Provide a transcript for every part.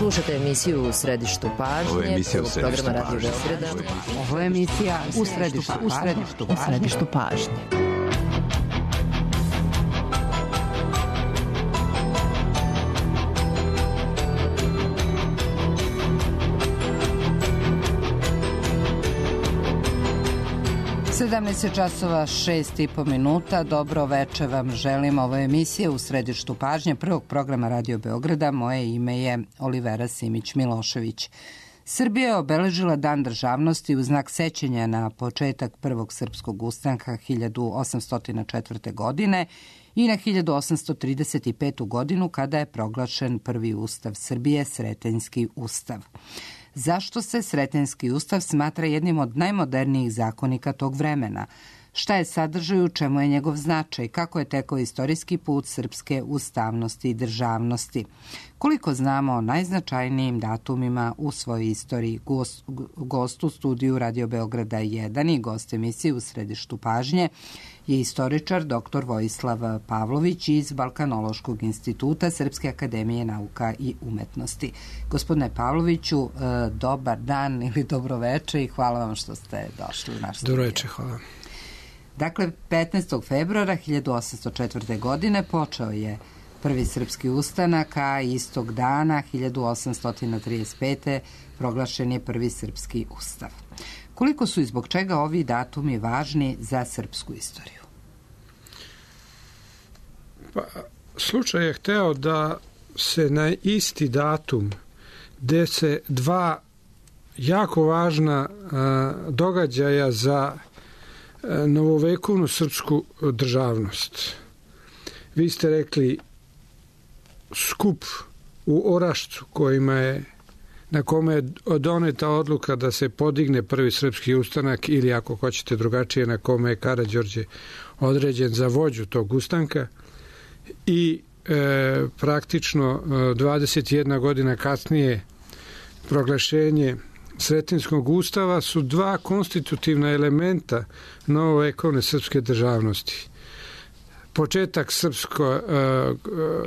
Slušate emisiju U središtu pažnje. Ovo je emisija U središtu pažnje. Ovo je emisija U središtu pažnje. Časova 6:30. Dobro veče vam želim. Ovo je emisija U središtu pažnje prvog programa Radio Beograda. Moje ime je Olivera Simić-Milošević. Srbija je obeležila Dan državnosti u znak sećanja na početak prvog srpskog ustanka 1804. godine i na 1835. godinu kada je proglašen prvi ustav Srbije, Sretenjski ustav. Zašto se Sretenjski ustav smatra jednim od najmodernijih zakonika tog vremena? Šta je sadržaj, u čemu je njegov značaj? Kako je tekao istorijski put srpske ustavnosti i državnosti? Koliko znamo o najznačajnijim datumima u svojoj istoriji? Gost u studiju Radio Beograda 1 i gost emisije U središtu pažnje je istoričar dr. Vojislav Pavlović iz Balkanološkog instituta Srpske akademije nauka i umetnosti. Gospodine Pavloviću, dobar dan ili dobroveče i hvala vam što ste došli u naš studiju. Dobroveče, hvala. Dakle, 15. februara 1804. godine počeo je prvi srpski ustanak, a istog dana 1835. proglašen je prvi srpski ustav. Koliko su i zbog čega ovi datumi važni za srpsku istoriju? Pa, slučaj je hteo da se na isti datum gde se dva jako važna događaja za novovekovnu srpsku državnost. Vi ste rekli skup u Orašcu na kome je doneta odluka da se podigne prvi srpski ustanak ili ako hoćete drugačije na kome je Karađorđe određen za vođu tog ustanka i praktično 21 godina kasnije proglašenje Sretenjskog ustava su dva konstitutivna elementa novovekovne srpske državnosti. Početak srpskog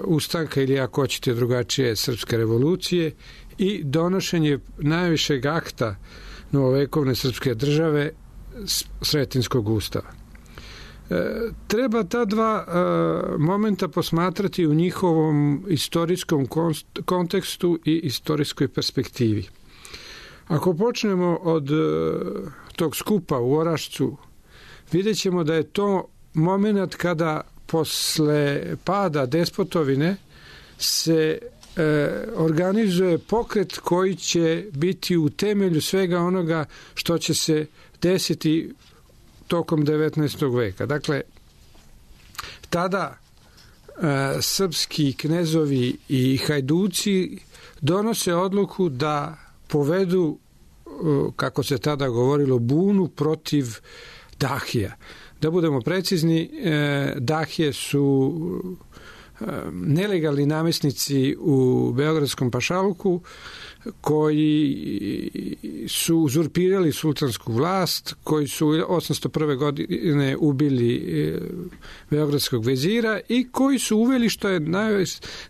ustanka ili ako hoćete drugačije srpske revolucije i donošenje najvišeg akta novovekovne srpske države Sretenjskog ustava. Treba ta dva momenta posmatrati u njihovom istorijskom kontekstu i istorijskoj perspektivi. Ako počnemo od tog skupa u Orašcu, vidjet ćemo da je to moment kada posle pada despotovine se organizuje pokret koji će biti u temelju svega onoga što će se desiti tokom 19. veka. Dakle, tada srpski knezovi i hajduci donose odluku da povedu, kako se tada govorilo, bunu protiv Dahija. Da budemo precizni, Dahije su nelegalni namesnici u Beogradskom pašaluku koji su uzurpirali sultansku vlast, koji su 801. godine ubili beogradskog vezira i koji su uveli, što je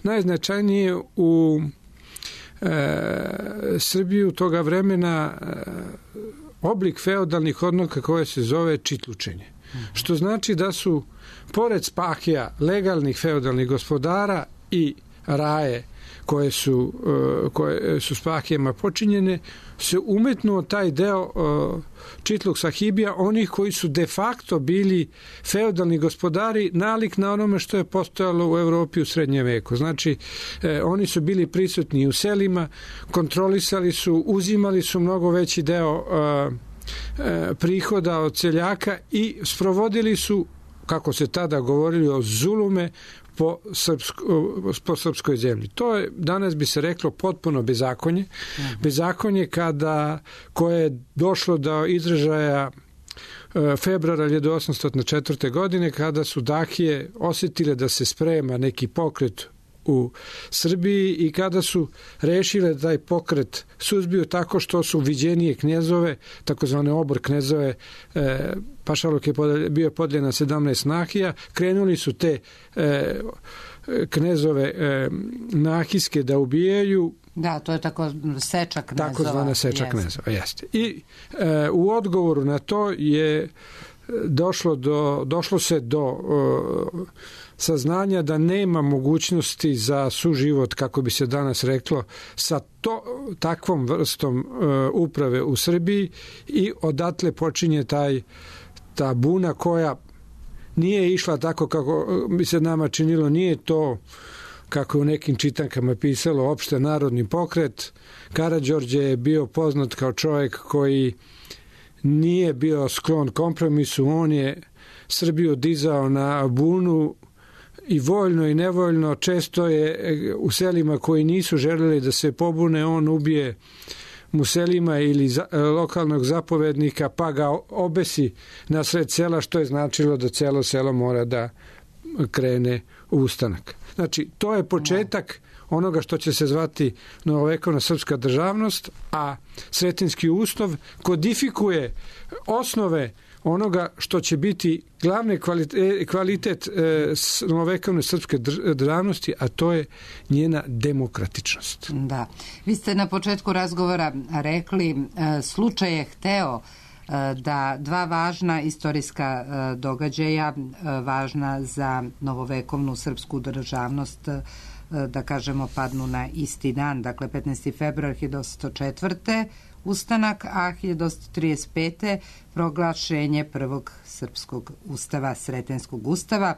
najznačajnije u Srbiju toga vremena, oblik feudalnih odnosa koje se zove čitlučenje. Što znači da su pored spahija legalnih feudalnih gospodara i raje koje su spahijama počinjene, se umetnuo taj deo čitluk sahibija, onih koji su de facto bili feudalni gospodari, nalik na onome što je postojalo u Evropi u srednjem veku. Znači, oni su bili prisutni u selima, kontrolisali su, uzimali su mnogo veći deo prihoda od seljaka i sprovodili su, kako se tada govorili, o zulume po srpskoj zemlji. To je, danas bi se reklo, potpuno bezakonje. Bezakonje koje je došlo do izražaja februara 1804. godine, kada su Dahije osjetile da se sprema neki pokret u Srbiji i kada su rešile da taj pokret suzbiju tako što su viđenije knjezove, takozvane obor knjezove, pašaluk je bio podeljen na 17 nahija, krenuli su te knezove nahijske da ubijaju, Da, to je tako seča knezova. Takozvana seča knezova, jeste. I u odgovoru na to je došlo se do saznanja da nema mogućnosti za suživot, kako bi se danas reklo, sa takvom vrstom uprave u Srbiji i odatle počinje ta buna koja nije išla tako kako bi se nama činilo, nije to kako u nekim čitankama pisalo opšte narodni pokret. Karađorđe je bio poznat kao čovjek koji nije bio sklon kompromisu, on je Srbiju dizao na bunu i voljno i nevoljno, često je u selima koji nisu želeli da se pobune, on ubije mu selima ili lokalnog zapovednika pa ga obesi na sred sela, što je značilo da celo selo mora da krene u ustanak. Znači, to je početak onoga što će se zvati novovekovna srpska državnost, a Sretenjski ustav kodifikuje osnove onoga što će biti glavni kvalitet novovekovne srpske državnosti, a to je njena demokratičnost. Da. Vi ste na početku razgovora rekli, slučaj je hteo da dva važna istorijska događaja, važna za novovekovnu srpsku državnost, da kažemo, padnu na isti dan. Dakle, 15. februar 1804. ustanak, a 1835. proglašenje prvog srpskog ustava, Sretenjskog ustava.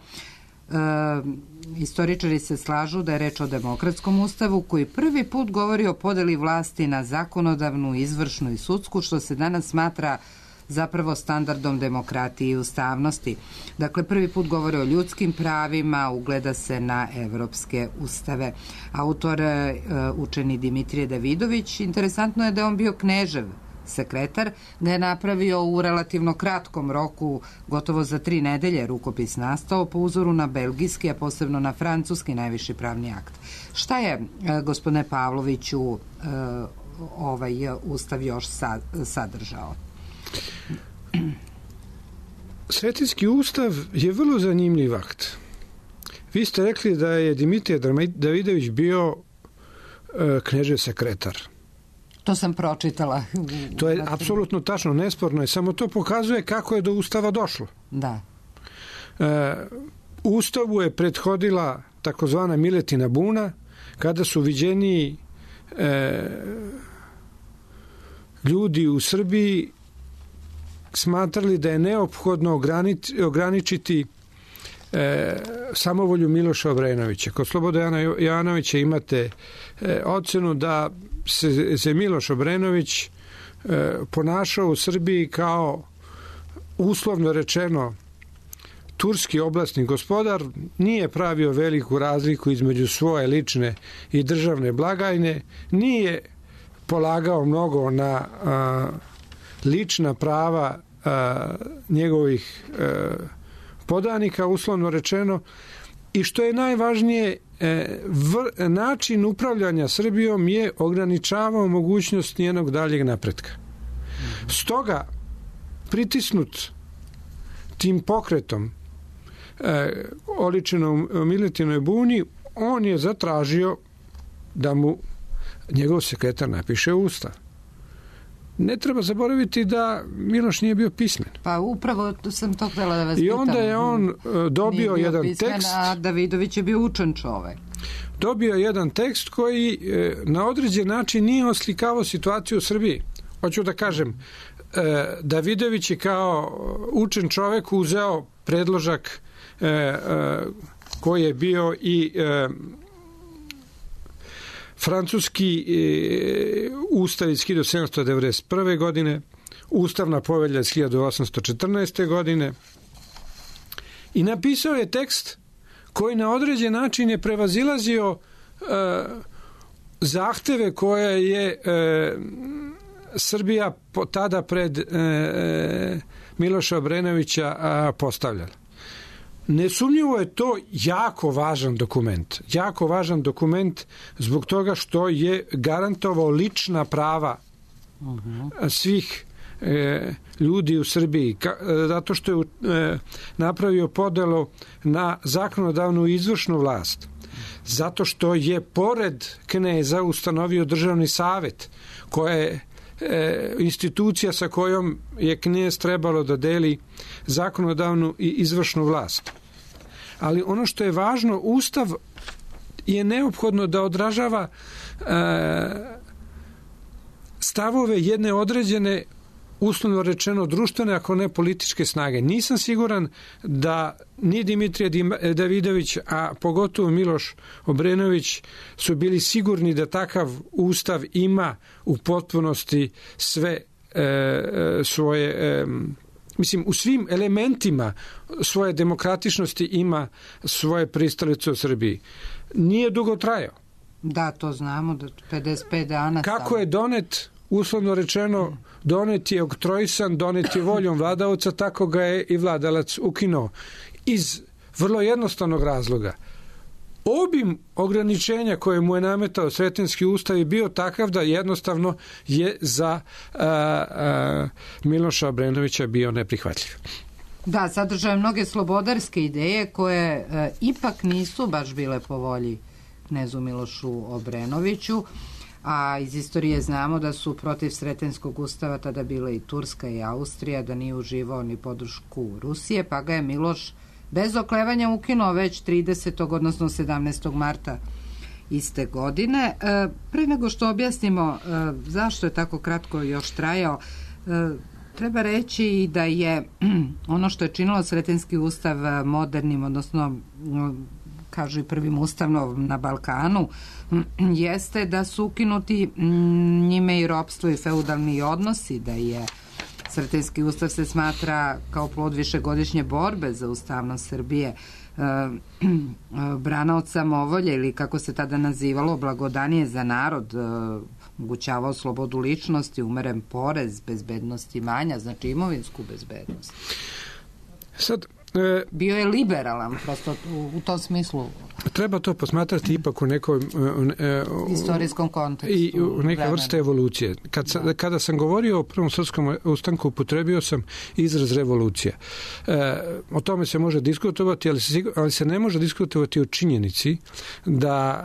Istoričari se slažu da je reč o demokratskom ustavu koji prvi put govori o podeli vlasti na zakonodavnu, izvršnu i sudsku, što se danas smatra zapravo standardom demokratije i ustavnosti. Dakle, prvi put govore o ljudskim pravima, ugleda se na evropske ustave. Autor, učeni Dimitrije Davidović, interesantno je da je on bio knežev sekretar, ga je napravio u relativno kratkom roku, gotovo za 3 nedelje rukopis nastao po uzoru na belgijski, a posebno na francuski najviši pravni akt. Šta je, gospodine Pavloviću, ovaj ustav još sadržao? Sretenjski ustav je vrlo zanimljiv akt. Vi ste rekli da je Dimitrije Davidović bio knežev sekretar. To sam pročitala. To je apsolutno tačno, nesporno je, samo to pokazuje kako je do ustava došlo. Da. Ustavu je prethodila takozvana Miletina buna, kada su viđeniji ljudi u Srbiji smatrali da je neophodno ograničiti samovolju Miloša Obrenovića. Kod Slobodana Jovanovića imate ocenu da se Miloš Obrenović ponašao u Srbiji kao, uslovno rečeno, turski oblastni gospodar, nije pravio veliku razliku između svoje lične i državne blagajne, nije polagao mnogo na lična prava njegovih podanika, uslovno rečeno, i što je najvažnije, način upravljanja Srbijom je ograničavao mogućnost njenog daljeg napretka. Stoga, pritisnut tim pokretom oličenom u Miletinoj buni, on je zatražio da mu njegov sekretar napiše ustav. Ne treba zaboraviti da Miloš nije bio pismen. Pa upravo sam to htjela da vas pitam. I onda je on dobio jedan pismen, tekst. A Davidović je bio učen čovek. Dobio jedan tekst koji na određen način nije oslikavao situaciju u Srbiji. Hoću da kažem, Davidović je kao učen čovek uzeo predložak koji je bio i francuski ustav iz 1791. godine, ustavna povelja iz 1814. godine, i napisao je tekst koji na određen način je prevazilazio zahteve koje je Srbija tada pred Miloša Obrenovića postavljala. Nesumnjivo je to jako važan dokument. Jako važan dokument zbog toga što je garantovao lična prava svih ljudi u Srbiji, zato što je napravio podelu na zakonodavnu i izvršnu vlast. Zato što je pored kneza ustanovio državni savet, koja je institucija sa kojom je knez trebalo da deli zakonodavnu i izvršnu vlast. Ali ono što je važno, Ustav je neophodno da odražava stavove jedne određene, uslovno rečeno društvene, ako ne političke snage. Nisam siguran da ni Dimitrije Davidović, a pogotovo Miloš Obrenović su bili sigurni da takav ustav ima u potpunosti sve svoje, mislim, u svim elementima svoje demokratičnosti ima svoje pristalice u Srbiji. Nije dugo trajao. Da, to znamo, da 55 dana. Kako je donet, uslovno rečeno, donet je oktroisan, donet je voljom vladaoca, tako ga je i vladalac ukinuo. Iz vrlo jednostavnog razloga. Obim ograničenja koje mu je nametao Sretenjski ustav je bio takav da jednostavno je za Miloša Obrenovića bio neprihvatljiv. Da, sadržaje mnoge slobodarske ideje koje ipak nisu baš bile po volji knezu Milošu Obrenoviću, a iz istorije znamo da su protiv Sretenjskog ustava tada bile i Turska i Austrija, da nije uživao ni podršku Rusije, pa ga je Miloš bez oklevanja ukinuo već 30. odnosno 17. marta iste godine. Pre nego što objasnimo zašto je tako kratko još trajao, treba reći i da je ono što je činilo Sretenjski ustav modernim, odnosno kažu i prvim ustavom na Balkanu, jeste da su ukinuti njime i ropstvo i feudalni odnosi, da je Sretenjski ustav se smatra kao plod višegodišnje borbe za ustavnost Srbije, brana od samovolje ili kako se tada nazivalo blagodanije za narod, omogućavao slobodu ličnosti, umeren porez, bezbednost imanja, znači imovinsku bezbednost. Sad, bio je liberalan, prosto u tom smislu. Treba to posmatrati ipak u nekom istorijskom kontekstu. I u neke vrste evolucije. Kada sam govorio o Prvom srpskom ustanku, upotrebio sam izraz revolucija. O tome se može diskutovati, ali se ne može diskutovati o činjenici da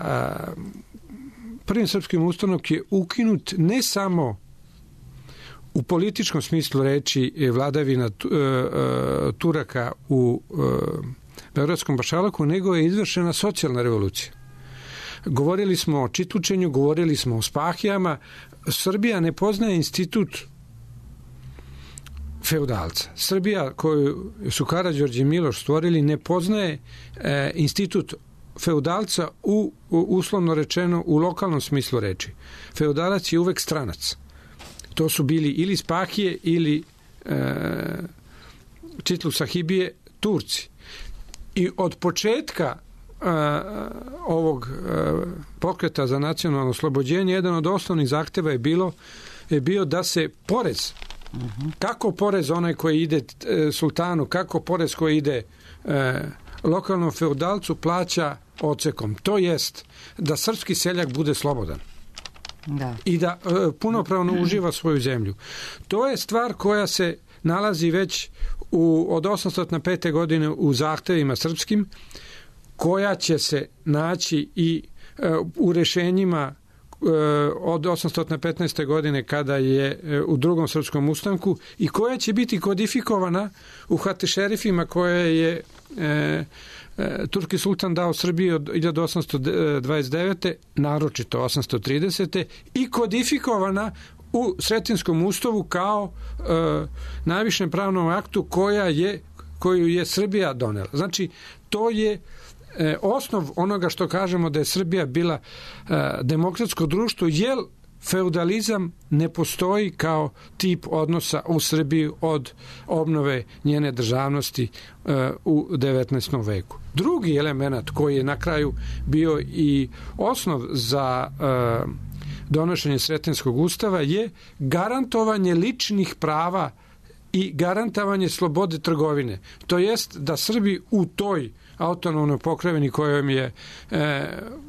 Prvim srpskim ustanak je ukinut ne samo u političkom smislu reči vladavina Turaka u Beogradskom pašalaku, nego je izvršena socijalna revolucija. Govorili smo o čitučenju, govorili smo o spahijama. Srbija ne poznaje institut feudalca. Srbija koju su Karađorđe i Miloš stvorili ne poznaje institut feudalca uslovno rečeno u lokalnom smislu reči. Feudalac je uvek stranac. To su bili ili spahije ili Čitlu sahibije, Turci. I od početka ovog pokreta za nacionalno oslobođenje jedan od osnovnih zahteva je bio da se porez, kako porez onaj koji ide sultanu, kako porez koji ide lokalnom feudalcu plaća odsekom. To jest da srpski seljak bude slobodan. Da. I da punopravno uživa svoju zemlju. To je stvar koja se nalazi već od 805. godine u zahtevima srpskim, koja će se naći i u rešenjima od 815. godine kada je u Drugom srpskom ustanku i koja će biti kodifikovana u Hatešerifima koje je turski sultan dao Srbiji od 1829. naročito 830. i kodifikovana u Sretinskom ustavu kao najvišem pravnom aktu koju je Srbija donela. Znači, to je osnov onoga što kažemo da je Srbija bila demokratsko društvo, jer feudalizam ne postoji kao tip odnosa u Srbiji od obnove njene državnosti u 19. veku. Drugi element koji je na kraju bio i osnov za donošenje Sretenjskog ustava je garantovanje ličnih prava i garantovanje slobode trgovine. To jest da Srbi u toj autonomnoj pokrajini kojom je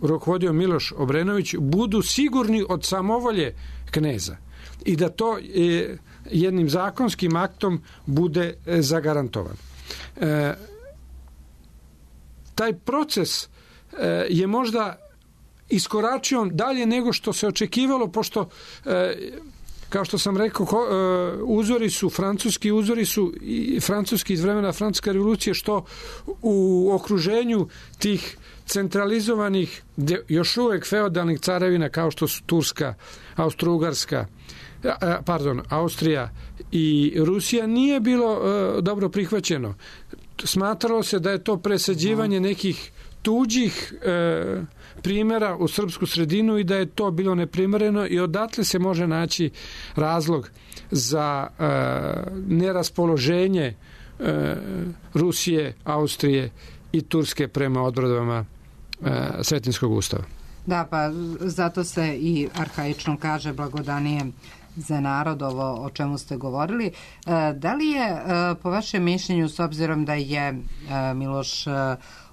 rukovodio Miloš Obrenović budu sigurni od samovolje kneza i da to jednim zakonskim aktom bude zagarantovan. Taj proces je možda iskoračio dalje nego što se očekivalo, pošto kao što sam rekao, uzori su i francuski iz vremena francuske revolucije, što u okruženju tih centralizovanih, još uvek feudalnih carevina kao što su Turska, Austrija i Rusija, nije bilo dobro prihvaćeno. Smatralo se da je to presađivanje nekih tuđih primjera u srpsku sredinu i da je to bilo neprimereno, i odatle se može naći razlog za neraspoloženje Rusije, Austrije i Turske prema odredbama Sretenjskog ustava. Da, pa zato se i arhaično kaže blagodanije za narod, ovo o čemu ste govorili. Da li je, po vašem mišljenju, s obzirom da je Miloš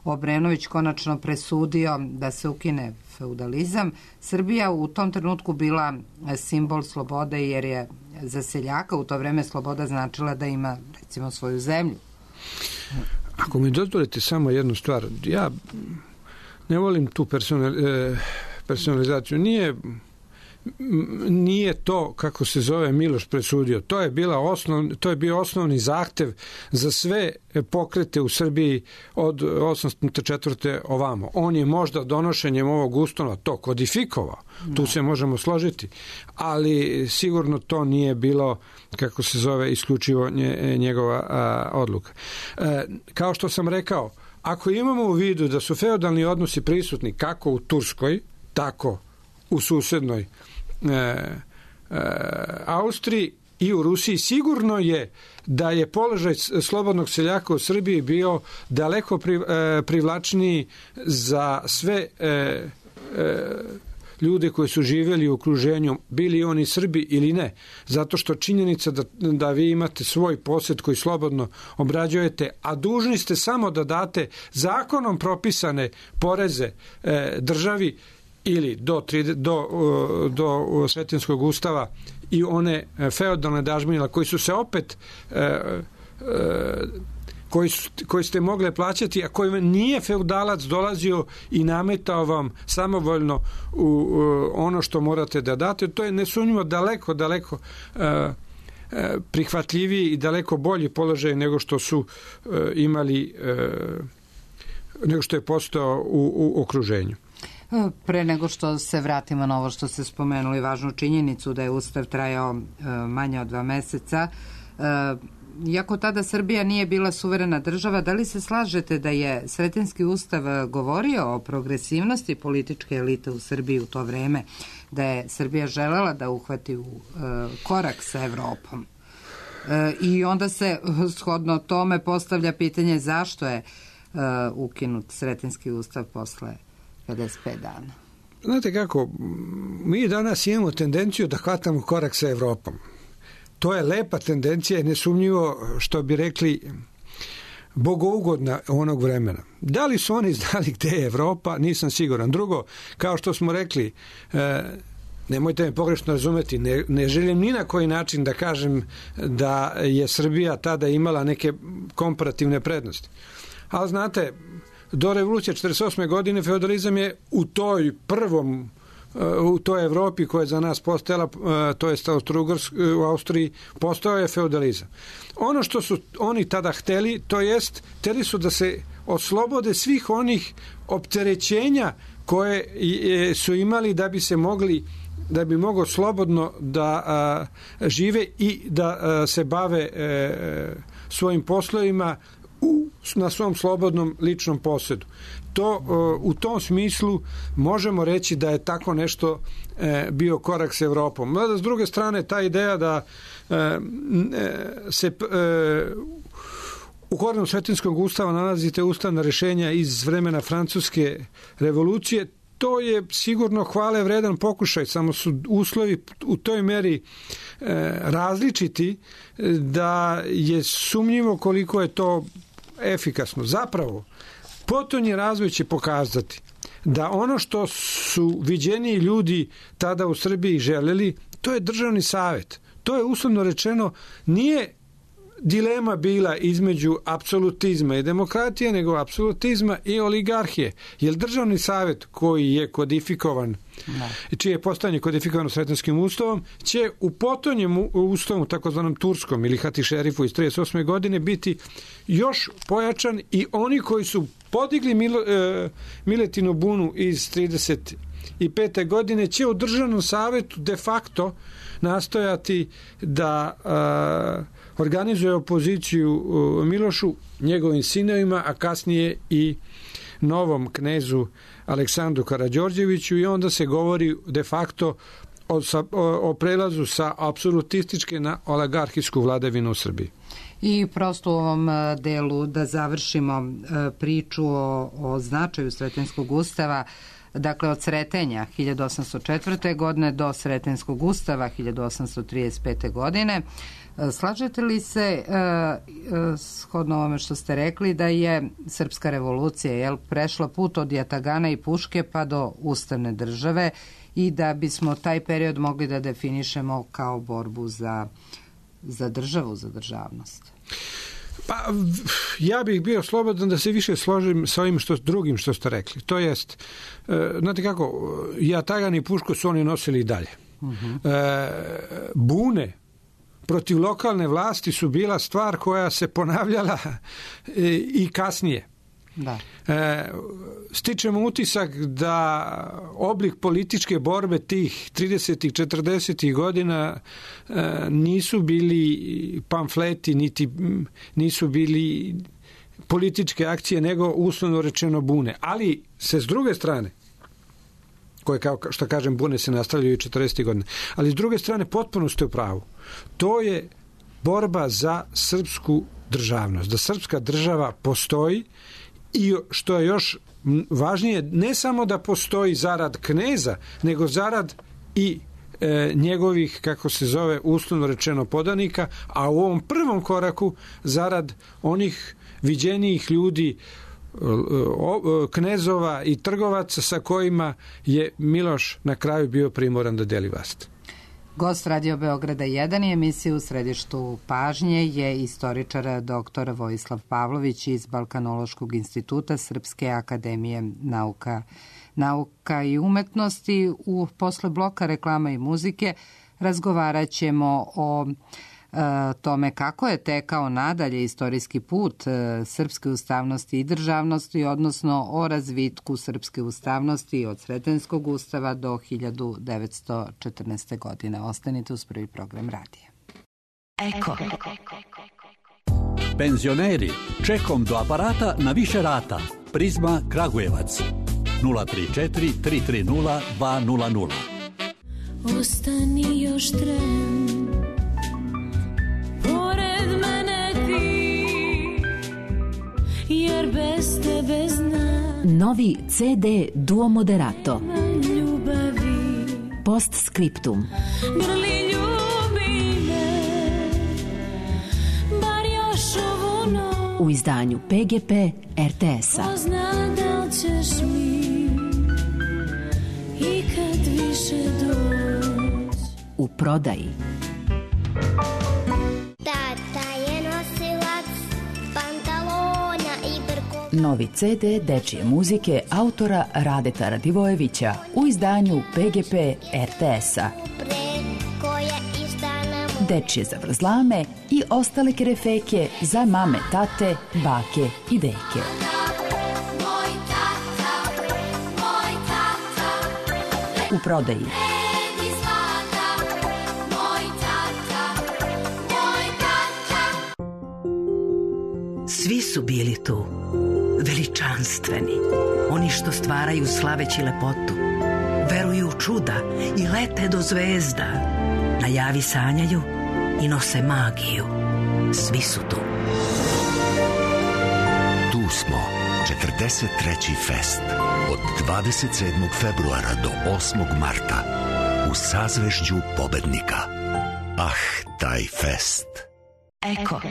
Obrenović konačno presudio da se ukine feudalizam, Srbija u tom trenutku bila simbol slobode, jer je za seljaka u to vreme sloboda značila da ima, recimo, svoju zemlju? Ako mi dozvolite samo jednu stvar, ja ne volim tu personalizaciju. Nije to, kako se zove, Miloš presudio. To je bio osnovni zahtev za sve pokrete u Srbiji od 804. ovamo. On je možda donošenjem ovog ustava to kodifikovao. Tu se možemo složiti. Ali sigurno to nije bilo, kako se zove, isključivo njegova odluka. Kao što sam rekao, ako imamo u vidu da su feudalni odnosi prisutni kako u Turskoj, tako u susednoj Austriji i u Rusiji, sigurno je da je položaj slobodnog seljaka u Srbiji bio daleko privlačniji za sve ljude koji su živjeli u okruženju, bili oni Srbi ili ne, zato što činjenica da vi imate svoj posjed koji slobodno obrađujete, a dužni ste samo da date zakonom propisane poreze državi ili do Sretenjskog ustava i one feudalne dažbine koji su se opet koji ste mogli plaćati, a koji nije feudalac dolazio i nametao vam samovoljno ono što morate da date. To je nesumnjivo daleko prihvatljiviji i daleko bolji položaj nego što su imali, nego što je postao u okruženju. Pre nego što se vratimo na ovo što ste spomenuli, važnu činjenicu da je Ustav trajao manje od 2 meseca, iako tada Srbija nije bila suverena država, da li se slažete da je Sretenjski ustav govorio o progresivnosti političke elite u Srbiji u to vreme, da je Srbija želela da uhvati u korak sa Evropom? I onda se shodno tome postavlja pitanje zašto je ukinut Sretenjski ustav posle 55 dana. Znate kako, mi danas imamo tendenciju da hvatamo korak sa Evropom. To je lepa tendencija i nesumnjivo, što bi rekli, bogougodna onog vremena. Da li su oni znali gde je Evropa, nisam siguran. Drugo, kao što smo rekli, nemojte me pogrešno razumeti, ne želim ni na koji način da kažem da je Srbija tada imala neke komparativne prednosti. Ali znate, do revolucije 48. godine feudalizam je u toj Evropi koja je za nas postojala, to je u Austriji, postojao je feudalizam. Ono što su oni tada hteli, to jest, hteli su da se oslobode svih onih opterećenja koje su imali da bi moglo slobodno da žive i da se bave svojim poslovima na svom slobodnom ličnom posjedu. U tom smislu možemo reći da je tako nešto bio korak s Evropom. Mada s druge strane ta ideja da se u korenu Sretenjskog ustava nalazite ustavna rješenja iz vremena Francuske revolucije, to je sigurno hvale vredan pokušaj, samo su uslovi u toj meri različiti da je sumnjivo koliko je to efikasno. Zapravo, potonji razvoj će pokazati da ono što su viđeniji ljudi tada u Srbiji želeli, to je državni savjet. To je uslovno rečeno, nije dilema bila između apsolutizma i demokratije, nego apsolutizma i oligarhije. Jer državni savjet koji je kodifikovan, čije je postojanje kodifikovano Sretenskim ustavom, će u potonjem ustavu, takozvanom turskom ili Hatisherifu iz 1938. godine, biti još pojačan i oni koji su podigli Miletinu bunu iz 1935. godine će u državnom savjetu de facto nastojati da organizuje opoziciju Milošu, njegovim sinovima, a kasnije i novom knezu Aleksandru Karađorđeviću, i onda se govori de facto o prelazu sa apsolutističke na oligarhijsku vladavinu u Srbiji. I prosto u ovom delu da završimo priču o značaju Sretenskog ustava, dakle od Sretenja 1804. godine do Sretenskog ustava 1835. godine. Slažete li se, shodno ovome što ste rekli, da je srpska revolucija prešla put od jatagana i puške pa do ustavne države i da bismo taj period mogli da definišemo kao borbu za državu, za državnost? Pa, ja bih bio slobodan da se više složim sa ovim drugim što ste rekli. To jest, znate kako, jatagan i pušku su oni nosili i dalje. Bune protiv lokalne vlasti su bila stvar koja se ponavljala i kasnije. Da. Stičemo utisak da oblik političke borbe tih 30-ih, 40-ih godina nisu bili pamfleti, niti nisu bili političke akcije, nego uslovno rečeno bune. Ali se s druge strane, koje, kao što kažem, bune se nastavljaju i 40. godine, ali s druge strane potpuno ste u pravu. To je borba za srpsku državnost, da srpska država postoji i što je još važnije, ne samo da postoji zarad kneza, nego zarad i njegovih, kako se zove, uslovno rečeno podanika, a u ovom prvom koraku zarad onih viđenijih ljudi, knezova i trgovaca sa kojima je Miloš na kraju bio primoran da deli vlast. Gost Radio Beograda 1 i emisije u središtu pažnje je istoričar dr. Vojislav Pavlović iz Balkanološkog instituta Srpske akademije nauka i umetnosti. Posle bloka reklama i muzike razgovarat ćemo o tome kako je tekao nadalje istorijski put srpske ustavnosti i državnosti, odnosno o razvitku srpske ustavnosti od Sretenskog ustava do 1914. godine. Ostanite uz prvi program radija. Eko. Penzioneri, čekom do aparata na više rata. Prizma Kragujevac 034 330 200. Ostani još tren, pored mene ti, jer bez tebe znam. Novi CD Duo Moderato. Ljubavi. Post Scriptum. Grli ljubi me, bar još ovu noć. U izdanju PGP RTS-a. Ko zna da li ćeš mi ikad više doći. U prodaji. Tata je nosilac pantalona i brkova. Novi CD dečije muzike autora Radeta Radivojevića u izdanju PGP RTS-a. Dečije zavrzlame i ostale kerefeke za mame, tate, bake i deke. U prodaji. Svi su bili tu, veličanstveni, oni što stvaraju slaveći lepotu, veruju u čuda i lete do zvezda, na javi sanjaju i nose magiju. Svi su tu. Tu smo, 43. fest, od 27. februara do 8. marta, u sazvežđu pobednika. Ah, taj fest. Eko.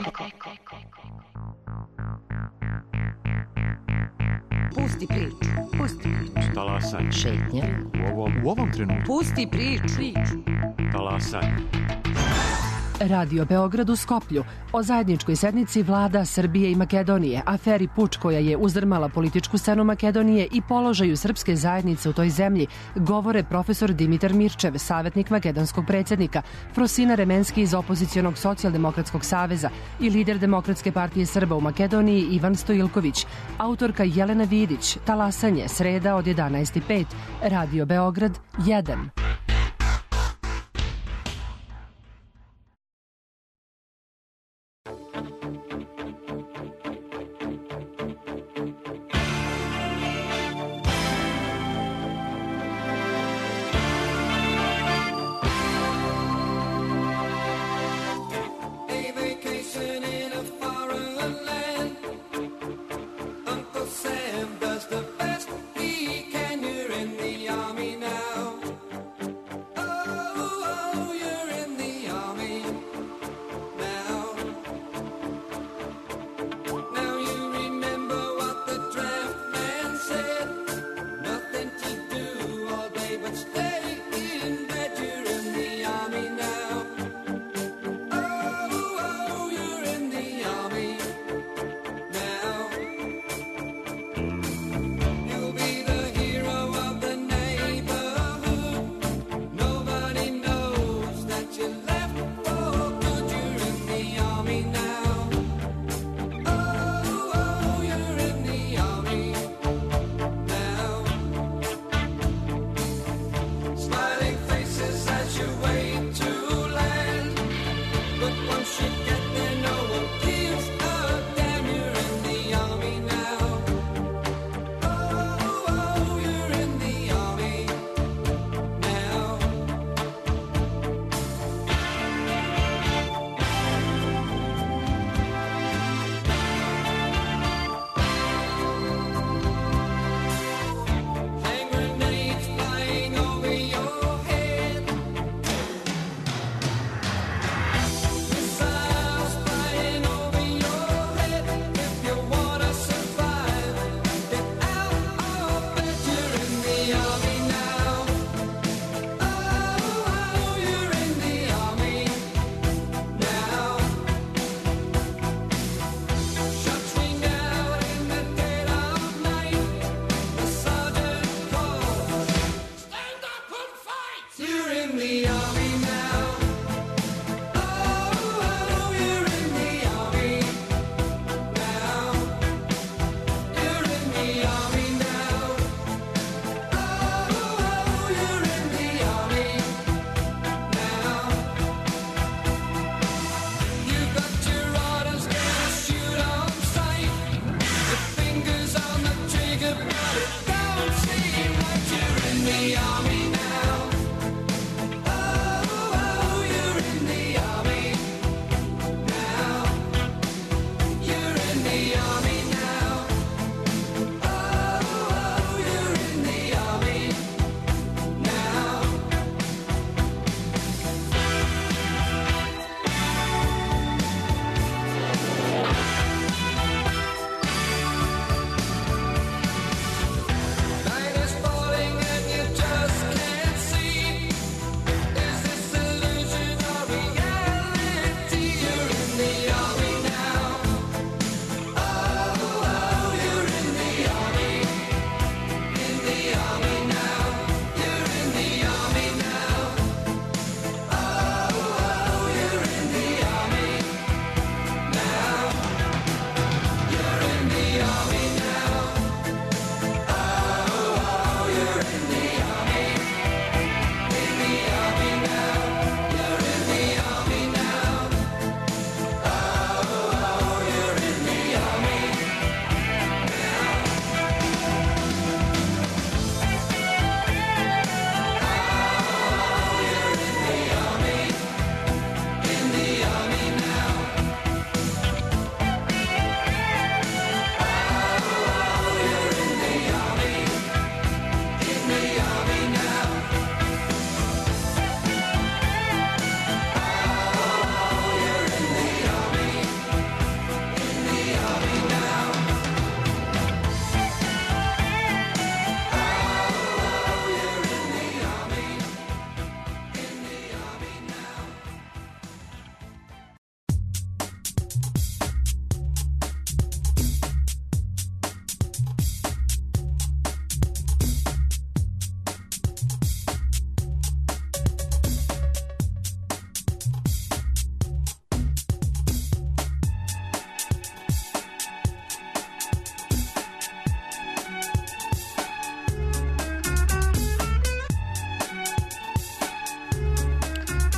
Pusti priču. Talasaj. Šetnja. U ovom trenutku. Pusti priču. Talasaj. Radio Beograd u Skoplju o zajedničkoj sednici vlada Srbije i Makedonije, aferi Puč koja je uzdrmala političku scenu Makedonije i položaju srpske zajednice u toj zemlji, govore profesor Dimitar Mirčev, savjetnik makedonskog predsjednika, Frosina Remenski iz opozicionog socijaldemokratskog saveza i lider Demokratske partije Srba u Makedoniji Ivan Stojilković, autorka Jelena Vidić, Talasanje, sreda od 11:05, Radio Beograd 1. Sam does the best he can. You're in the army now.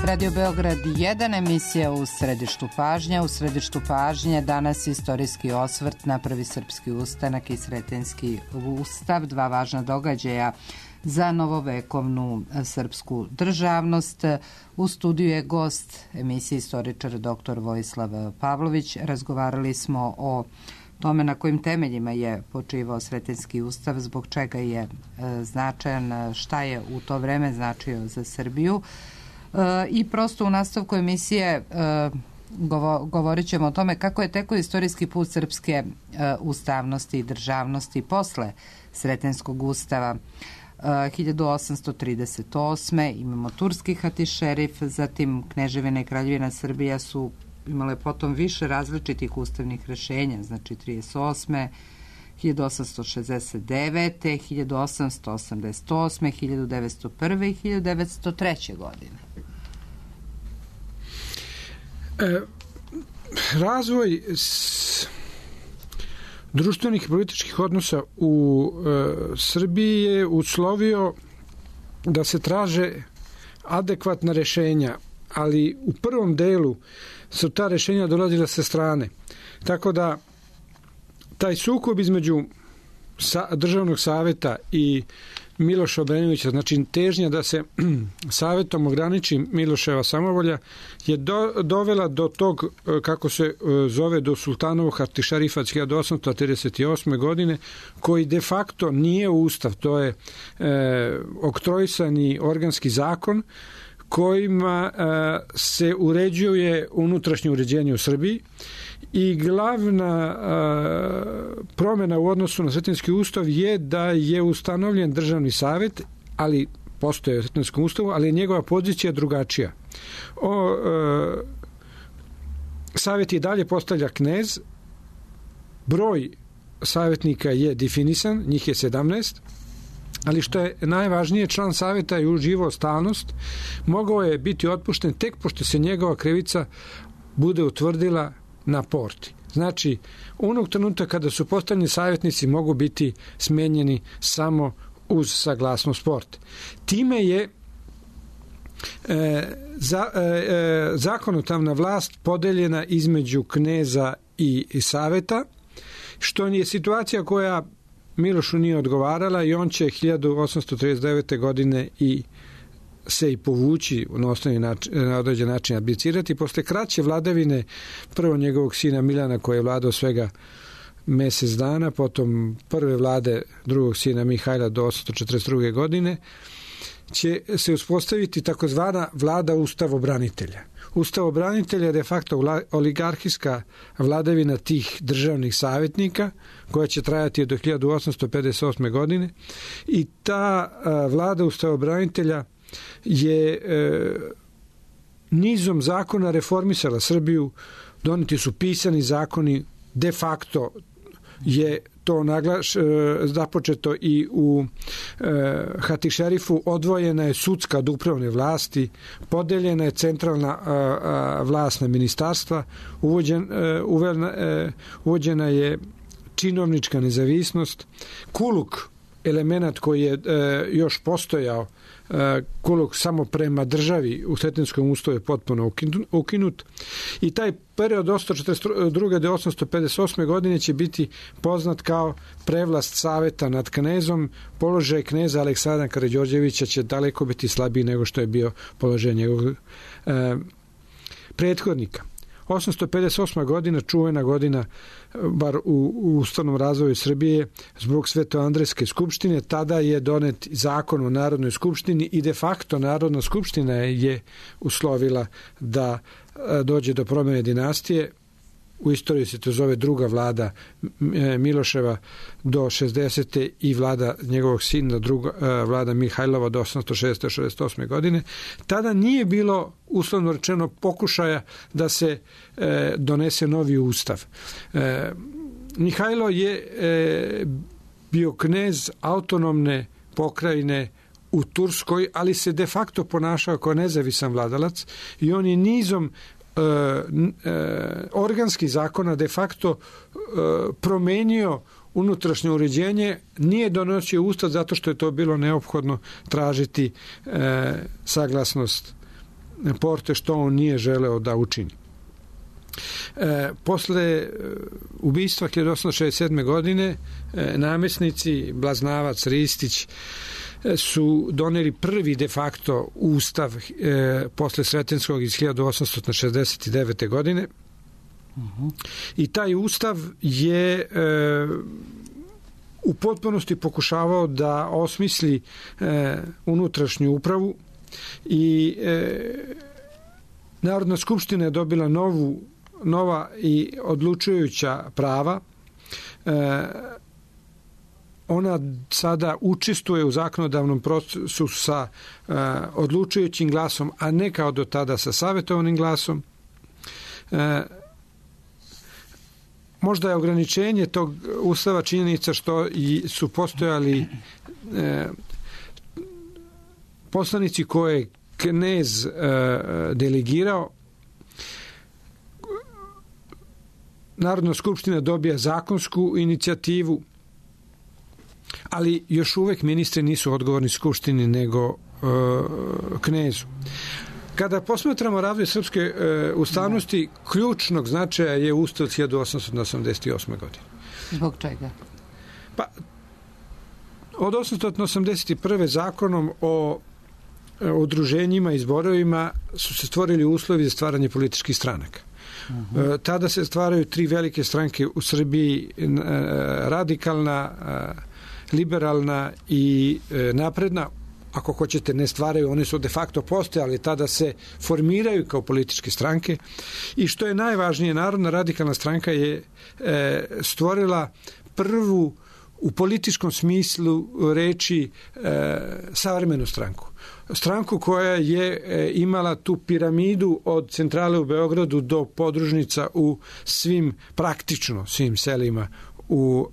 Radio Beograd 1, emisija u središtu pažnje. U središtu pažnje danas istorijski osvrt na prvi srpski ustanak i Sretenjski ustav, dva važna događaja za novovekovnu srpsku državnost. U studiju je gost emisije istoričar dr. Vojislav Pavlović. Razgovarali smo o tome na kojim temeljima je počivao Sretenjski ustav, zbog čega je značajan, šta je u to vreme značio za Srbiju. I prosto u nastavku emisije govorit ćemo o tome kako je tekao istorijski put srpske ustavnosti i državnosti posle Sretenjskog ustava. 1838. imamo turski hatišerif, zatim Kneževina i Kraljevina Srbija su imale potom više različitih ustavnih rešenja, znači 38. 1869. 1888. 1901. i 1903. godine. Razvoj društvenih i političkih odnosa u Srbiji je uslovio da se traže adekvatna rešenja, ali u prvom delu su ta rešenja dolazila sa strane. Tako da taj sukob između državnog saveta i Miloša Obrenovića, znači težnja da se savetom ograniči Miloševa samovolja, je dovela do tog, kako se zove, do sultanovog hatišerifa 1838. godine, koji de facto nije ustav, to je oktroisani organski zakon kojima se uređuje unutrašnje uređenje u Srbiji. I glavna promjena u odnosu na Sretenjski ustav je da je ustanovljen državni savet, ali postoje u Sretenskom ustavu, ali je njegova pozicija drugačija. Savet i dalje postavlja knez, broj savjetnika je definisan, njih je 17, ali što je najvažnije, član savjeta je uživao stalnost, mogao je biti otpušten tek pošto se njegova krivica bude utvrdila na porti. Znači, onog trenutka kada su postavljeni savjetnici mogu biti smenjeni samo uz saglasnost porte. Time je zakonodavna vlast podeljena između kneza i saveta, što je situacija koja Milošu nije odgovarala i on će 1839. godine se i povući na određen način abdicirati. Posle kraće vladavine prvo njegovog sina Milana, koji je vladao svega mesec dana, potom prve vlade drugog sina Mihajla do 1842. godine, će se uspostaviti takozvana vlada ustavobranitelja. Ustavobranitelja je de facto oligarhijska vladavina tih državnih savjetnika koja će trajati do 1858. godine i ta vlada ustavobranitelja je nizom zakona reformisala Srbiju, doneti su pisani zakoni, de facto je to započeto i u hatišerifu, odvojena je sudska od upravne vlasti, podeljena je centralna vlast na ministarstva, uvođena je činovnička nezavisnost, kuluk, element koji je još postojao, kuluk samo prema državi u Sretenskom ustavu je potpuno ukinut i taj period od 1842. do 1858. godine će biti poznat kao prevlast saveta nad knezom. Položaj kneza Aleksandra Karađorđevića će daleko biti slabiji nego što je bio položaj njegovog prethodnika. 858. godina, čuvena godina, bar u ustavnom razvoju Srbije, zbog Svetoandrejske skupštine, tada je donet zakon o Narodnoj skupštini i de facto Narodna skupština je uslovila da dođe do promjene dinastije. U istoriji se to zove druga vlada Miloševa do 60. i vlada njegovog sina, druga vlada Mihajlova do 1868. godine. Tada nije bilo, uslovno rečeno, pokušaja da se donese novi ustav. Mihajlo je bio knez autonomne pokrajine u Turskoj, ali se de facto ponašao kao nezavisan vladalac i on je nizom organskih zakona de facto promenio unutrašnje uređenje, nije donosio ustav zato što je to bilo neophodno tražiti saglasnost Porte što on nije želeo da učini. Posle ubistva 1867. godine namesnici Blaznavac, Ristić su doneli prvi de facto ustav posle Sretenskog iz 1869. godine. I taj ustav je u potpunosti pokušavao da osmisli unutrašnju upravu i Narodna skupština je dobila nova i odlučujuća prava. Ona sada učestvuje u zakonodavnom procesu sa odlučujućim glasom, a ne kao do tada sa savjetovanim glasom. Možda je ograničenje tog ustava činjenica što su postojali poslanici koje je knez delegirao. Narodna skupština dobija zakonsku inicijativu, ali još uvek ministri nisu odgovorni skupštini nego knezu. Kada posmatramo razvoj srpske ustavnosti, ključnog značaja je ustav 1888. godine. Zbog čega? Pa, od 1881. zakonom o udruženjima i zborovima su se stvorili uslovi za stvaranje političkih stranaka. Tada se stvaraju tri velike stranke u Srbiji, radikalna, liberalna i napredna. Ako hoćete, ne stvaraju, one su de facto postojali, tada se formiraju kao političke stranke. I što je najvažnije, Narodna radikalna stranka je stvorila prvu u političkom smislu reči savremenu stranku. Stranku koja je imala tu piramidu od centrale u Beogradu do podružnica u praktično svim selima u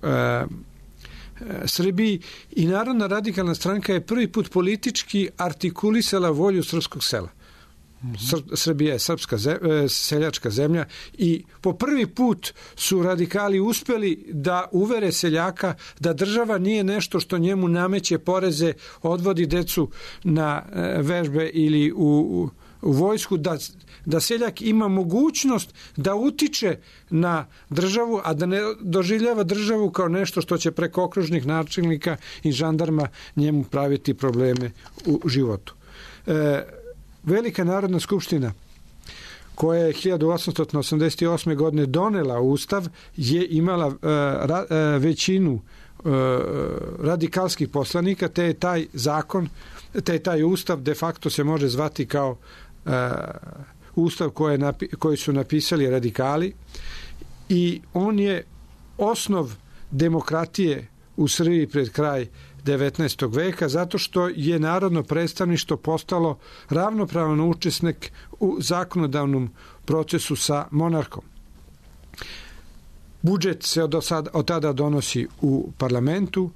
Srbiji, i Narodna radikalna stranka je prvi put politički artikulisala volju srpskog sela. Srbija je srpska seljačka zemlja i po prvi put su radikali uspeli da uvere seljaka da država nije nešto što njemu nameće poreze, odvodi decu na vežbe ili u vojsku, da seljak ima mogućnost da utiče na državu, a da ne doživljava državu kao nešto što će preko okružnih načelnika i žandarma njemu praviti probleme u životu. Velika Narodna skupština koja je 1888. godine donela ustav je imala većinu radikalskih poslanika, te je taj zakon, te je taj ustav de facto se može zvati kao ustav koji su napisali radikali, i on je osnov demokratije u Srbiji pred kraj 19. veka, zato što je narodno predstavništvo postalo ravnopravan učesnik u zakonodavnom procesu sa monarhom. Budžet se od tada donosi u parlamentu.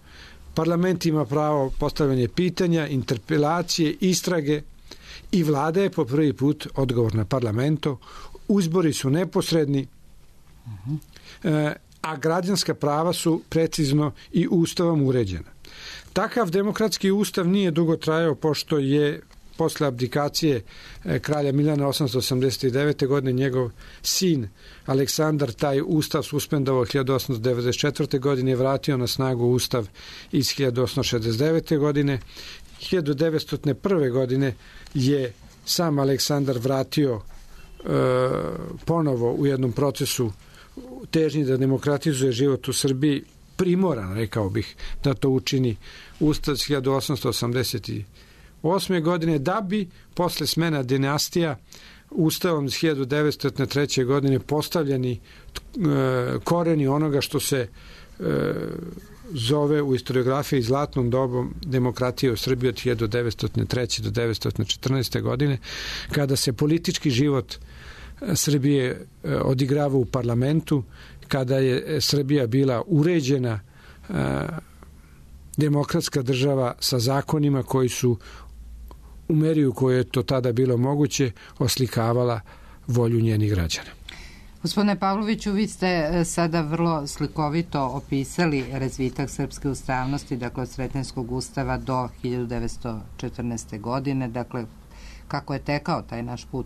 Parlament ima pravo postavljanja pitanja, interpelacije, istrage, i vlada je po prvi put odgovorna parlamentu. Izbori su neposredni, a građanska prava su precizno i ustavom uređena. Takav demokratski ustav nije dugo trajao, pošto je posle abdikacije kralja Milana 889. godine njegov sin Aleksandar taj ustav suspendovao 1894. godine i vratio na snagu ustav iz 1869. godine. 1901. godine je sam Aleksandar vratio ponovo u jednom procesu težnji da demokratizuje život u Srbiji, primoran, rekao bih, da to učini ustav 1888. godine, da bi posle smena dinastija ustavom iz 1903. godine postavljeni koreni onoga što se zove u historiografiji zlatnom dobom demokratije u Srbiji od 1903. do 1914. godine, kada se politički život Srbije odigrava u parlamentu, kada je Srbija bila uređena demokratska država sa zakonima koji su u meri u kojoj je to tada bilo moguće oslikavala volju njenih građana. Gospodine Pavloviću, vi ste sada vrlo slikovito opisali razvitak srpske ustavnosti, dakle od Sretenskog ustava do 1914. godine, dakle kako je tekao taj naš put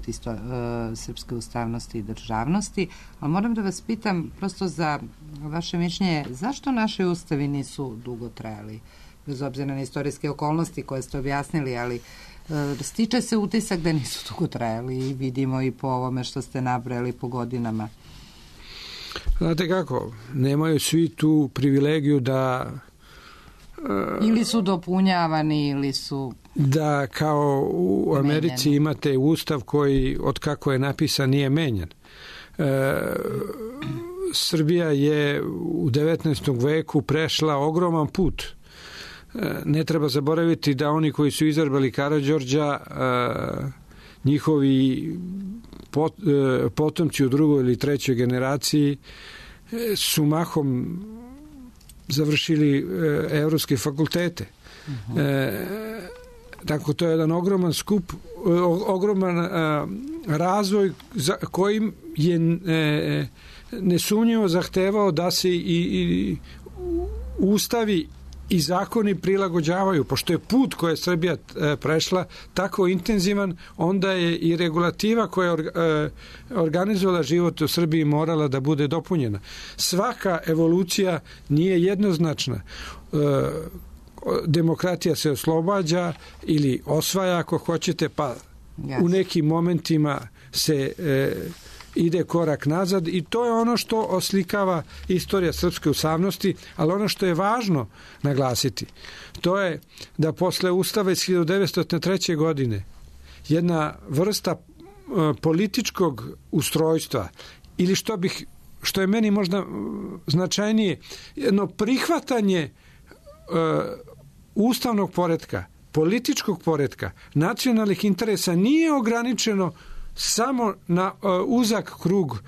srpske ustavnosti i državnosti, ali moram da vas pitam prosto za vaše mišljenje, zašto naši ustavi nisu dugo trajali? Bez obzira na istorijske okolnosti koje ste objasnili, ali stiče se utisak da nisu dugo trajali i vidimo i po ovome što ste nabrali po godinama. Znate kako, nemaju svi tu privilegiju da ili su dopunjavani ili su da kao u Americi imate ustav koji od kako je napisan nije menjan. Srbija je u 19. veku prešla ogroman put. Ne treba zaboraviti da oni koji su izabrali Karađorđa, njihovi potomci u drugoj ili trećoj generaciji su mahom završili evropske fakultete. Tako to je jedan ogroman skup, ogroman razvoj za kojim je nesumnjivo zahtevao da se i ustavi i zakoni prilagođavaju. Pošto je put koje je Srbija prešla tako intenzivan, onda je i regulativa koja je organizovala život u Srbiji morala da bude dopunjena. Svaka evolucija nije jednoznačna. Demokratija se oslobađa ili osvaja ako hoćete, pa u nekim momentima se ide korak nazad i to je ono što oslikava istorija srpske ustavnosti, ali ono što je važno naglasiti, to je da posle Ustava iz 1903. godine jedna vrsta političkog ustrojstva ili što je meni možda značajnije, jedno prihvatanje ustavnog poretka, političkog poretka, nacionalnih interesa nije ograničeno samo na uzak krug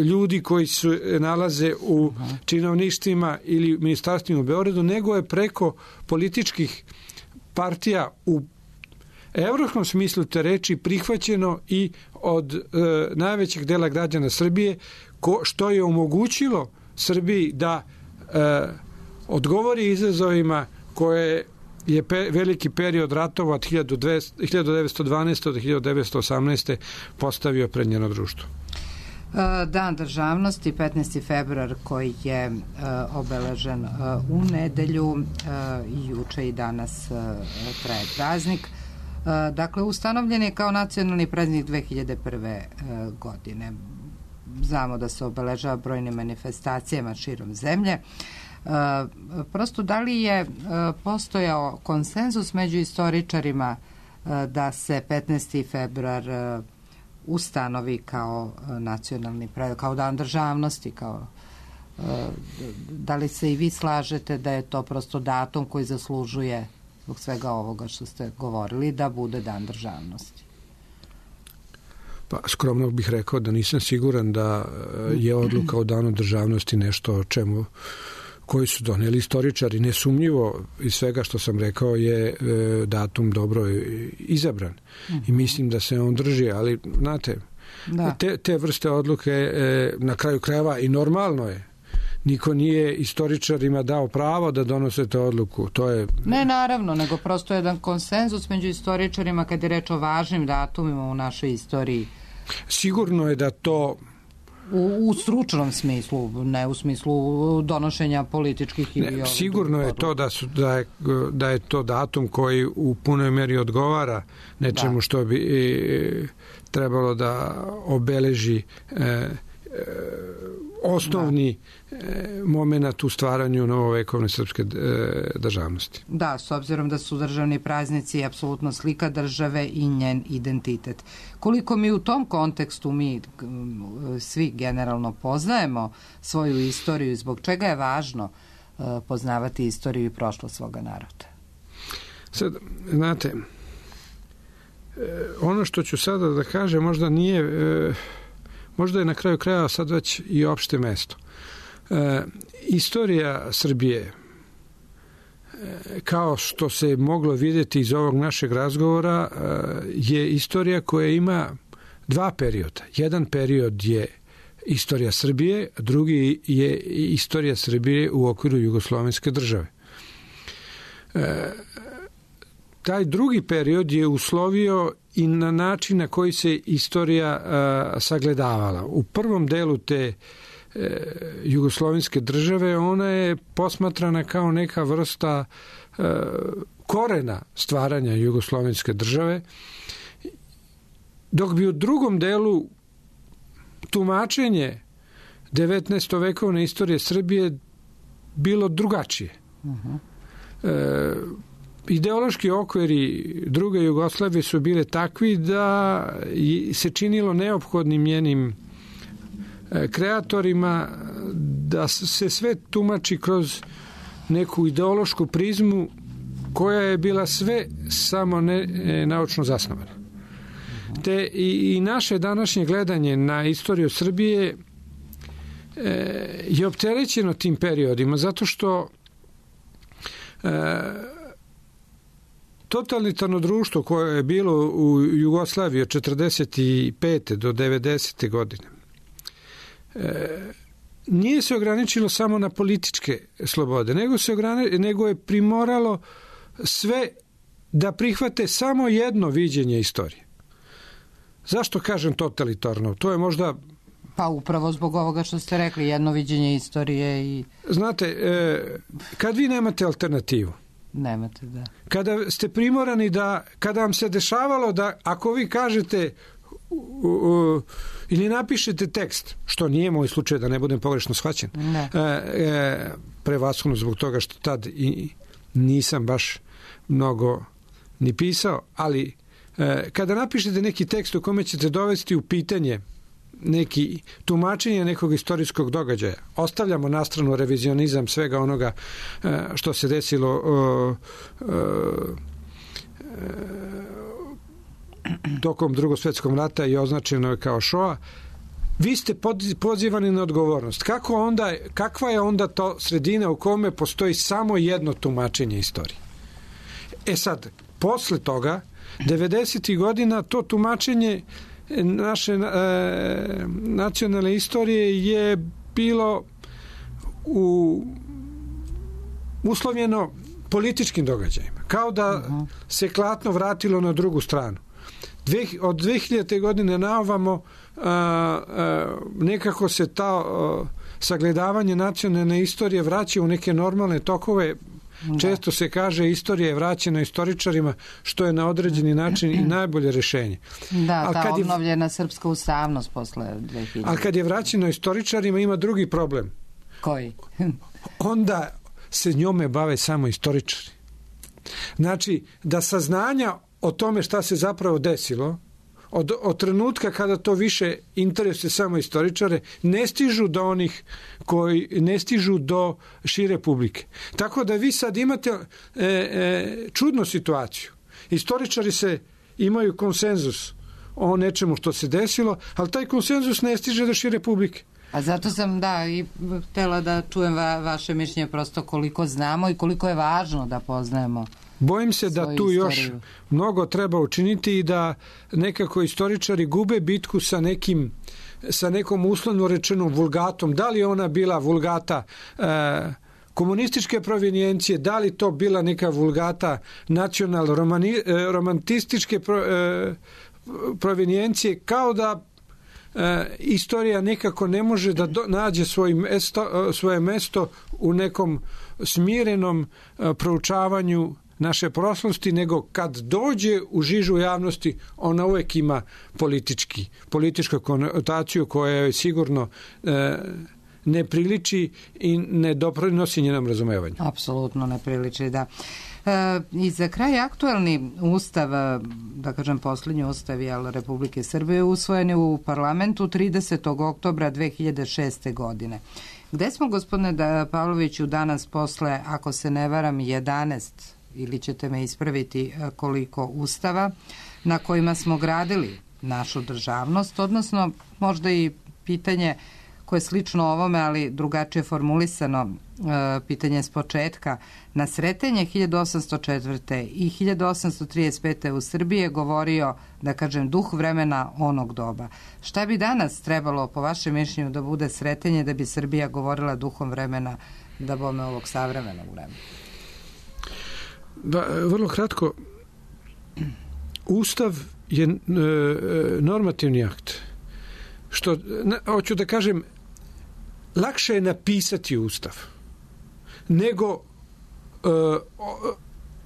ljudi koji se nalaze u činovništvima ili ministarstvima u Beogradu, nego je preko političkih partija u evropskom smislu te reči prihvaćeno i od najvećeg dela građana Srbije, što je omogućilo Srbiji da odgovori izazovima koje je veliki period ratova od 1912. do 1918. postavio pred njeno društvo. Dan državnosti, 15. februar, koji je obeležen u nedelju, juče i danas traje praznik. Dakle, ustanovljen je kao nacionalni praznik 2001. godine. Znamo da se obeležava brojnim manifestacijama širom zemlje. Prosto, da li je postojao konsenzus među istoričarima da se 15. februar ustanovi kao nacionalni praznik, kao dan državnosti, da li se i vi slažete da je to prosto datum koji zaslužuje zbog svega ovoga što ste govorili da bude dan državnosti? Pa skromno bih rekao da nisam siguran da je odluka o danu državnosti nešto o čemu koji su doneli istoričari. Nesumnjivo iz svega što sam rekao je datum dobro izabran i mislim da se on drži, ali znate, te vrste odluke na kraju krajeva i normalno je. Niko nije istoričarima dao pravo da donose te odluku. To je... Ne, naravno, nego prosto jedan konsenzus među istoričarima kad je reč o važnim datumima u našoj istoriji. Sigurno je da to u stručnom smislu, ne u smislu donošenja političkih ili... Sigurno je to da je to datum koji u punoj meri odgovara nečemu što bi trebalo da obeleži osnovni moment u stvaranju novovekovne srpske državnosti. Da, s obzirom da su državni praznici apsolutno slika države i njen identitet. Koliko mi u tom kontekstu mi svi generalno poznajemo svoju istoriju i zbog čega je važno poznavati istoriju i prošlost svoga naroda? Sad, znate, ono što ću sada da kažem možda nije... možda je na kraju kraja sad već i opšte mesto. Istorija Srbije, kao što se moglo vidjeti iz ovog našeg razgovora, je istorija koja ima dva perioda. Jedan period je istorija Srbije, a drugi je istorija Srbije u okviru Jugoslovenske države. taj drugi period je uslovio i na način na koji se istorija sagledavala. U prvom delu te jugoslovenske države ona je posmatrana kao neka vrsta korena stvaranja jugoslovenske države, dok bi u drugom delu tumačenje 19. vekovne istorije Srbije bilo drugačije. Ideološki okviri druge Jugoslavije su bile takvi da se činilo neophodnim njenim kreatorima da se sve tumači kroz neku ideološku prizmu koja je bila sve samo ne naučno zasnovana. Te i naše današnje gledanje na istoriju Srbije je opterećeno tim periodima zato što totalitarno društvo koje je bilo u Jugoslaviji od 45. do 90. godine nije se ograničilo samo na političke slobode, nego je primoralo sve da prihvate samo jedno viđenje istorije. Zašto kažem totalitarno? To je možda... Pa upravo zbog ovoga što ste rekli, jedno viđenje istorije i... Znate, kad vi nemate alternativu, nemate, da. Kada ste primorani da, kada vam se dešavalo da ako vi kažete ili napišete tekst, što nije moj slučaj da ne budem pogrešno shvaćen, prevashodno zbog toga što tad i nisam baš mnogo ni pisao, ali kada napišete neki tekst u kome ćete dovesti u pitanje neki tumačenje nekog istorijskog događaja, ostavljamo na stranu revizionizam svega onoga što se desilo tokom Drugog svjetskog rata i označeno je kao šoa, vi ste pozivani na odgovornost. Kakva je onda to sredina u kome postoji samo jedno tumačenje istorije? Sad, posle toga 90. godina to tumačenje naše nacionalne istorije je bilo uslovljeno političkim događajima. Kao da se klatno vratilo na drugu stranu. Od 2000. godine naovamo nekako se ta sagledavanje nacionalne istorije vraća u neke normalne tokove. Često se kaže istorija je vraćena istoričarima, što je na određeni način i najbolje rešenje. Da, ta obnovljena srpska ustavnost posle 2000. Ali kad je vraćeno istoričarima ima drugi problem. Koji? Onda se njome bave samo istoričari. Znači, da saznanja o tome šta se zapravo desilo, od trenutka kada to više interesuje samo istoričare, ne stižu do onih koji ne stižu do šire publike. Tako da vi sad imate čudnu situaciju. Istoričari imaju konsenzus o nečemu što se desilo, ali taj konsenzus ne stiže do šire publike. A zato sam, i htela da čujem vaše mišljenje prosto koliko znamo i koliko je važno da poznajemo. Bojim se da tu još mnogo treba učiniti i da nekako istoričari gube bitku sa nekom uslovno rečenom vulgatom. Da li ona bila vulgata komunističke provenijencije, da li to bila neka vulgata romantističke provenijencije, kao da istorija nekako ne može da nađe svoje mesto u nekom smirenom proučavanju naše prošlosti, nego kad dođe u žižu javnosti, ona uvek ima političku konotaciju koja je sigurno ne priliči i ne doprinosi njenom razumevanju. Apsolutno ne priliči, da. I za kraj aktualni ustav, da kažem poslednji ustav Republike Srbije, usvojen je u parlamentu 30. oktobra 2006. godine. Gde smo, gospodine Pavloviću, danas posle, ako se ne varam, 11 ili ćete me ispraviti koliko ustava na kojima smo gradili našu državnost, odnosno možda i pitanje koje je slično ovome, ali drugačije formulisano, pitanje s početka. Na Sretenje 1804. i 1835. u Srbiji je govorio, da kažem, duh vremena onog doba. Šta bi danas trebalo, po vašem mišljenju, da bude Sretenje da bi Srbija govorila duhom vremena, da bome ovog savremenog vremena? Vrlo kratko, Ustav je normativni akt. Što, hoću da kažem, lakše je napisati Ustav nego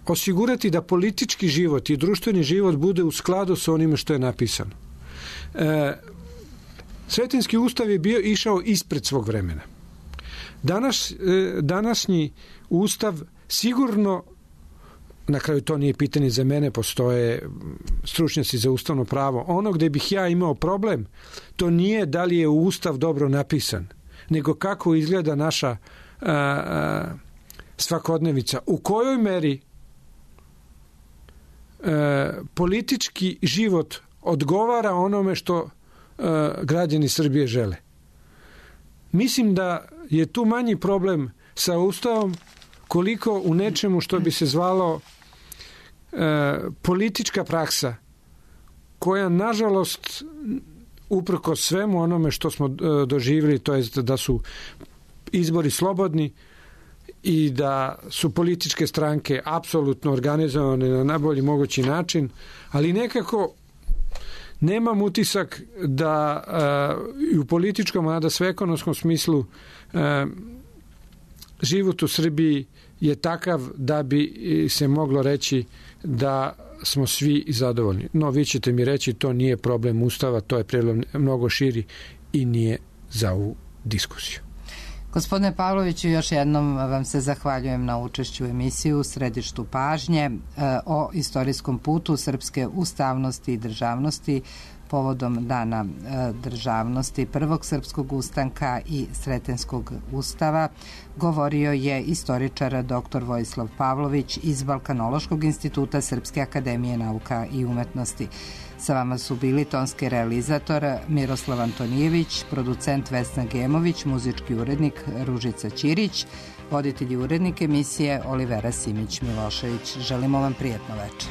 osigurati da politički život i društveni život bude u skladu sa onime što je napisano. Sretenjski ustav je išao ispred svog vremena. Današnji ustav sigurno, na kraju to nije pitanje za mene, postoje stručnjaci za ustavno pravo. Ono gde bih ja imao problem, to nije da li je ustav dobro napisan, nego kako izgleda naša svakodnevica. U kojoj meri politički život odgovara onome što građani Srbije žele. Mislim da je tu manji problem sa ustavom koliko u nečemu što bi se zvalo politička praksa, koja nažalost uprkos svemu onome što smo doživjeli, to jest da su izbori slobodni i da su političke stranke apsolutno organizovane na najbolji mogući način, ali nekako nemam utisak da i u političkom, a da sveekonomskom smislu život u Srbiji je takav da bi se moglo reći da smo svi zadovoljni. No, vi ćete mi reći, to nije problem Ustava, to je problem mnogo širi i nije za ovu diskusiju. Gospodine Pavloviću, još jednom vam se zahvaljujem na učešću u emisiju u Središtu pažnje o istorijskom putu srpske ustavnosti i državnosti povodom Dana državnosti Prvog srpskog ustanka i Sretenjskog ustava. Govorio je istoričar dr. Vojislav Pavlović iz Balkanološkog instituta Srpske akademije nauka i umetnosti. Sa vama su bili tonski realizator Miroslav Antonijević, producent Vesna Gemović, muzički urednik Ružica Ćirić, voditelj i urednik emisije Olivera Simić-Milošević. Želimo vam prijatno večer.